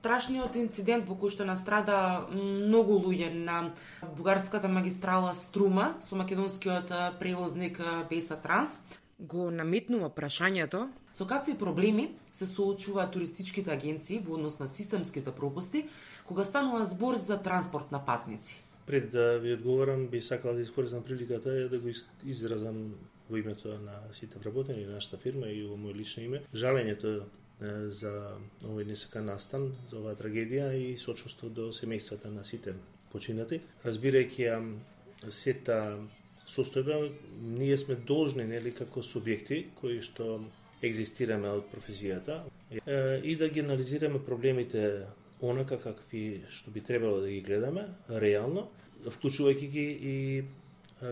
страшниот инцидент во кој што настрада многу луѓе на бугарската магистрала Струма со македонскиот превозник Беса Транс, го наметнува прашањето со какви проблеми се соочуваат туристичките агенции во однос на системските пропусти кога станува збор за транспорт на патници. Пред да ви одговорам, би сакала да искористам приликата да го изразам во името на сите вработени на нашата фирма и во моје лично име жалењето за овој несакан настан, за оваа трагедија и сочувство до семејствата на сите починати. Разбирајќи ја сета состојба, ние сме должни, нели, како субјекти кои што екзистираме од професијата и да ги анализираме проблемите онака какви што би требало да ги гледаме реално, вклучувајќи ги и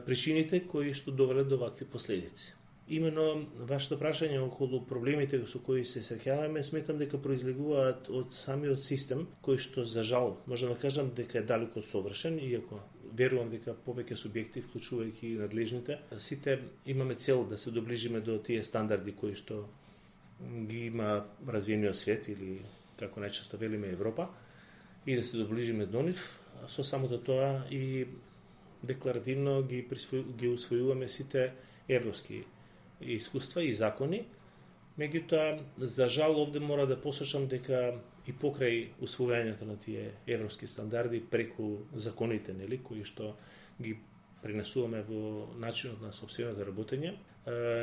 причините кои што довеле до вакви последици. Имено вашето прашање околу проблемите со кои се среќаваме, сметам дека произлегуваат од самиот систем кој што за жал можам да кажам дека е далеку од совршен, иако верувам дека повеќе субјекти, вклучувајќи надлежните, сите имаме цел да се доближиме до тие стандарди кои што ги има развиениот свет или како најчесто велиме Европа и да се доближиме до нив, со самото тоа и декларативно ги усвојуваме сите европски искуства и закони. Меѓутоа, за жал овде мора да посочам дека и покрај усвојањето на тие европски стандарди преку законите, нели, кои што ги пренесуваме во начинот на сопственото работење,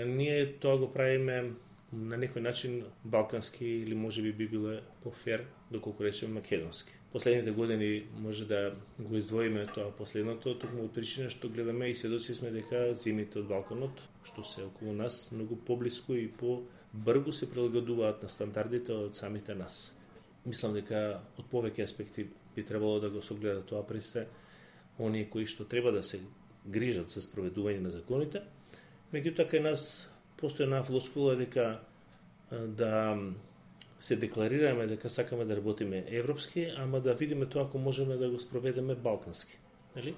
ние тоа го правиме на некој начин балкански или можеби би било по-фер доколку речеме македонски. Последните години може да го издвоиме тоа последното, токму од причина што гледаме и сведоци сме дека земјите од Балканот, што се околу нас, многу поблиску и по-брзо се прилагодуваат на стандардите од самите нас. Мислам дека од повеќе аспекти би требало да го согледа тоа престе оние кои што треба да се грижат за спроведување на законите. Меѓутоа кај нас постои една флоскула дека да се декларираме дека сакаме да работиме европски, ама да видиме тоа ако можеме да го спроведеме балкански. Нели?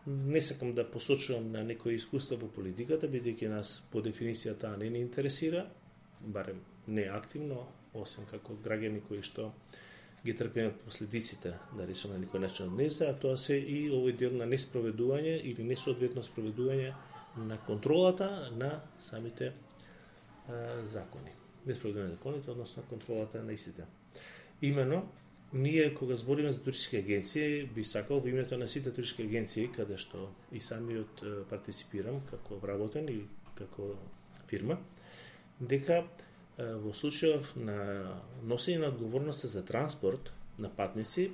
Не сакам да посочувам на некои искуства во политиката, бидејќи нас по дефиниција таа не ни интересира, барем не активно, освен како граѓани кои што ги трпиме последиците, да речеме на некој начин од неста, а тоа се и овој дел на неспроведување или несоодветно спроведување на контролата на самите закони. Неспроведување на законите, односно контролата на истите. Имено, ние кога збориме за туристички агенции, би сакал во името на сите туристички агенции, каде што и самиот партиципирам како вработен и како фирма, дека во случајов на носење на одговорноста за транспорт на патници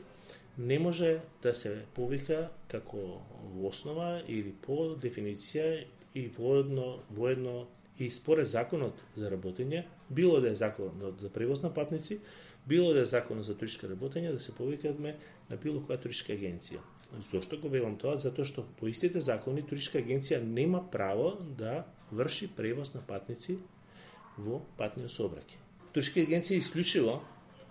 не може да се повика како во основа или по дефиниција и воедно и според законот за работење, било да е законот за превоз на патници, било да е законот за туристичко работење, да се повикаме на било која туристичка агенција. Зошто го велам тоа? Затоа што по истите закони туристичка агенција нема право да врши превоз на патници во патниот сообраќај. Туристички агенции исклучиво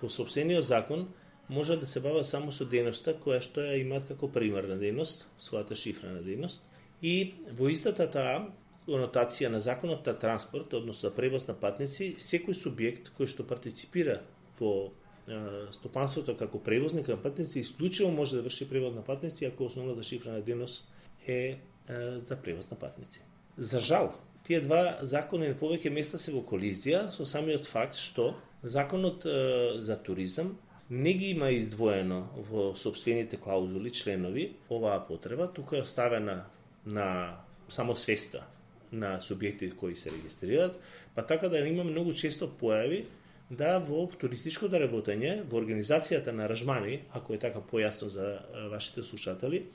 во сопствениот закон може да се бават само со дејноста која што ја имаат како примарна дејност, својата шифрена дејност, и во истата таа конотација на законот на транспорт, односно за превоз на патници, секој субјект кој што партиципира во стопанството како превозник на патници исклучиво може да врши превоз на патници ако основната шифрена дејност е за превоз на патници. За жал, тие два закони на повеќе места се во колизија со самиот факт што законот за туризам не ги има издвоено во сопствените клаузули, членови, оваа потреба, тука е оставена на само свеста на субјекти кои се регистрираат, па така да има многу често појави да во туристичкото работење, во организацијата на аранжмани, ако е така појасно за вашите слушатели,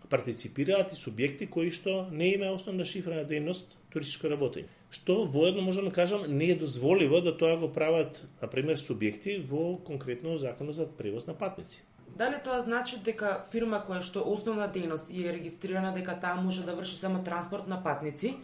партиципираат и субјекти кои што не имаат основна шифрена дејност туристичко работење. Што воедно можам да кажам не е дозволиво да тоа го прават, на пример, субјекти во конкретно законот за превоз на патници. Дали тоа значи дека фирма која што основна дејност е регистрирана дека таа може да врши само транспорт на патници,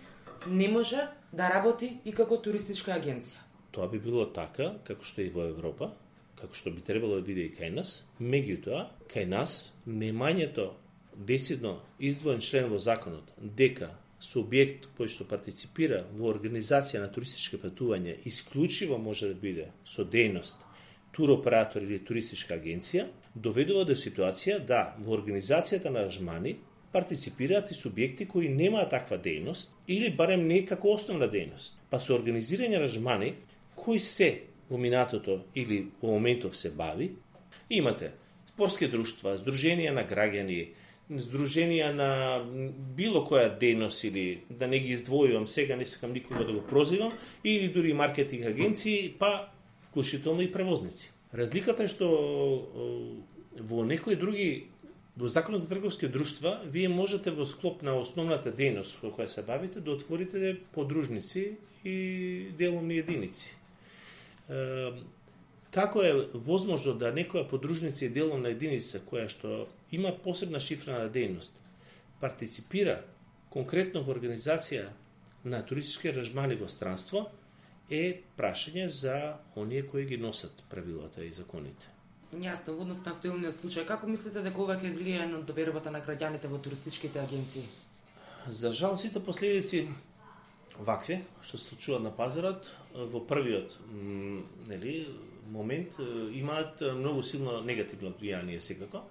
не може да работи и како туристичка агенција? Тоа би било така, како што е и во Европа, како што би требало да биде и кај нас. Меѓутоа, кај нас немањето децидно издвоен член во законот дека субјект кој што партиципира во организација на туристички патувања исклучиво може да биде со дејност туроператор или туристичка агенција, доведува до ситуација да во организацијата на аранжмани партиципираат и субјекти кои немаат таква дејност или барем не како основна дејност. Па со организирање аранжмани кои се во минатото или во моментов се бави, имате спортски друштва, здруженија на граѓани, здруженија на било која дејност или да не ги издвојувам сега, не сакам никога да го прозивам, или дури маркетинг агенции, па вклучително и превозници. Разликата е што во некои други, во Законот за трговски друштва, вие можете во склоп на основната дејност во која се бавите да отворите подружници и деловни единици. Како е возможно да некоја подружница и деловна единица која што има посебна шифрена дејност партиципира конкретно во организација на туристички аранжмани во странство е прашање за оние кои ги носат правилата и законите. Јасно, во однос на актуелниот случај, како мислите дека ова ќе влијае на довербата на граѓаните во туристичките агенции? За жал, сите последици вакви што се случуваат на пазарот во првиот момент имаат многу силно негативно влијание секако.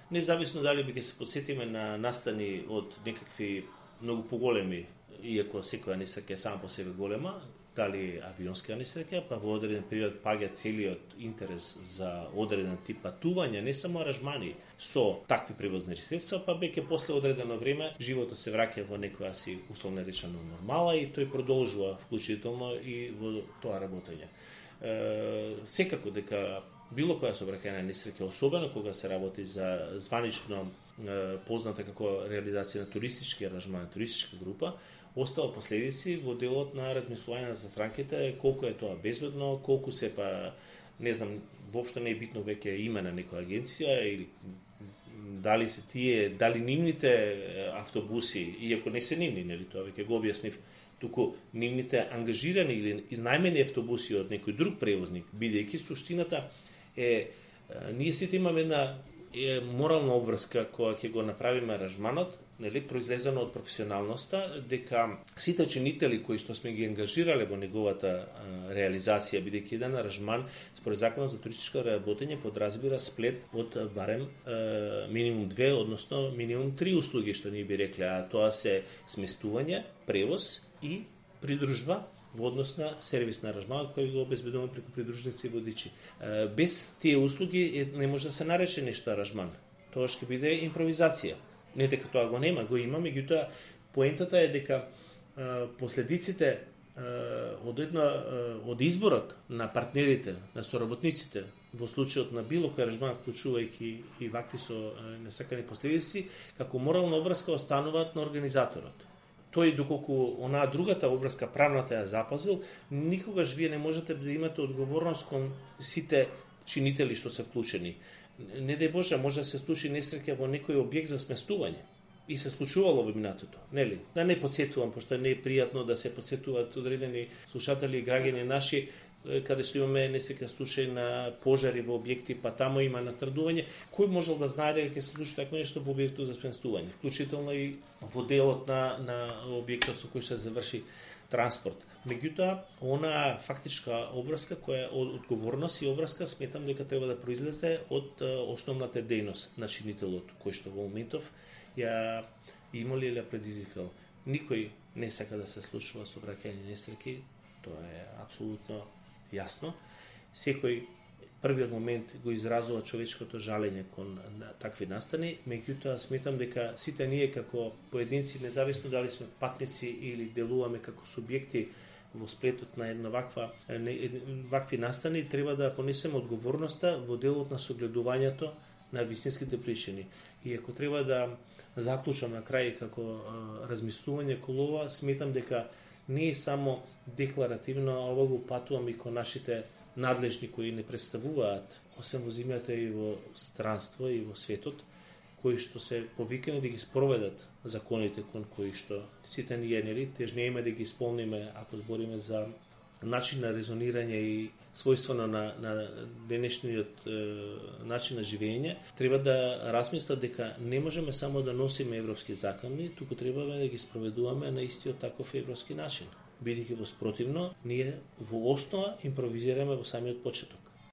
Независно дали би ќе се подсетиме на настани од некакви многу поголеми, иако секоја несреќа е сама по себе голема, дали авионска несреќа, па во одреден период паѓа целиот интерес за одреден тип патување, не само аранжмани со такви превозни средства, па веќе после одредено време животот се враќа во некоја си условно речено нормала и тој продолжува вклучително и во тоа работење. Секако дека било која сообраќајна несреќа, особено кога се работи за званично позната како реализација на туристички аранжман, туристичка група, остава последици во делот на размислување за странките, колку е тоа безбедно, колку се па, не знам, воопшто не е битно веќе име на некоја агенција или дали се тие, дали нивните автобуси, иако не се нивни, нели, тоа веќе го објаснив, туку нивните ангажирани или изнајмени автобуси од некој друг превозник, бидејќи суштината е, ние сите имаме една морална обврска која ќе го направиме аранжманот, нели, произлезено од професионалноста, дека сите чинители кои што сме ги ангажирале во неговата реализација, бидејќи еден аранжман според Законот за туристичко работење подразбира сплет од барем минимум 2, односно минимум 3 услуги, што ние би рекле, а тоа се сместување, превоз и придружба во однос на сервис на аранжманот кој го обезбедуваме преку придружници и водичи. Без тие услуги не може да се нарече нешто аранжман. Тоа ќе биде импровизација. Не дека тоа го нема, го има, меѓутоа поентата е дека последиците од изборот на партнерите, на соработниците во случајот на било кој аранжман, вклучувајќи и вакви со несакани последици, како морална обврска остануваат на организаторот. Тој, доколку онаа другата обврска, правната ја запазил, никогаш вие не можете да имате одговорност кон сите чинители што се вклучени. Не дај Боже, може да се случи несреќа во некој објект за сместување. И се случувало во минатото, нели? Да не подсетувам, пошто не е пријатно да се подсетуваат одредени слушатели и граѓани наши, каде што имаме несреќа случај на пожари во објекти, па таму има настрадување, кој можел да знае дека ќе се случи такво нешто во објектот за сместување, вклучително и во делот на објектот со кој се заврши транспорт. Меѓутоа, она фактичка обврска која од одговорност и обврска сметам дека треба да произлезе од основната дејност на чинителот, кој што во моментов ја имали или ја предизвикал. Никој не сака да се случува сообраќајни несреќи, тоа е апсолутно јасно. Секој првиот момент го изразува човечкото жалење кон такви настани, меѓутоа сметам дека сите ние како поединци, независно дали сме патници или делуваме како субјекти во сплетот на една вакви настани, треба да понесеме одговорноста во делот на согледувањето на вистинските причини. И ако треба да заклучам на крај како размислување кон ова, сметам дека не е само декларативно, ова го патувам и кон нашите надлежни кои не представуваат, освен во земјата и во странство и во светот, кои што се повикани да ги спроведат законите кон кои што сите ние, нели, тежнееме да ги исполниме, ако збориме за начин на резонирање и својствено на денешниот начин на живење, треба да размислат дека не можеме само да носиме европски закони, туку треба да ги спроведуваме на истиот таков европски начин. Бидејќи во спротивно, ние во основа импровизираме во самиот почеток.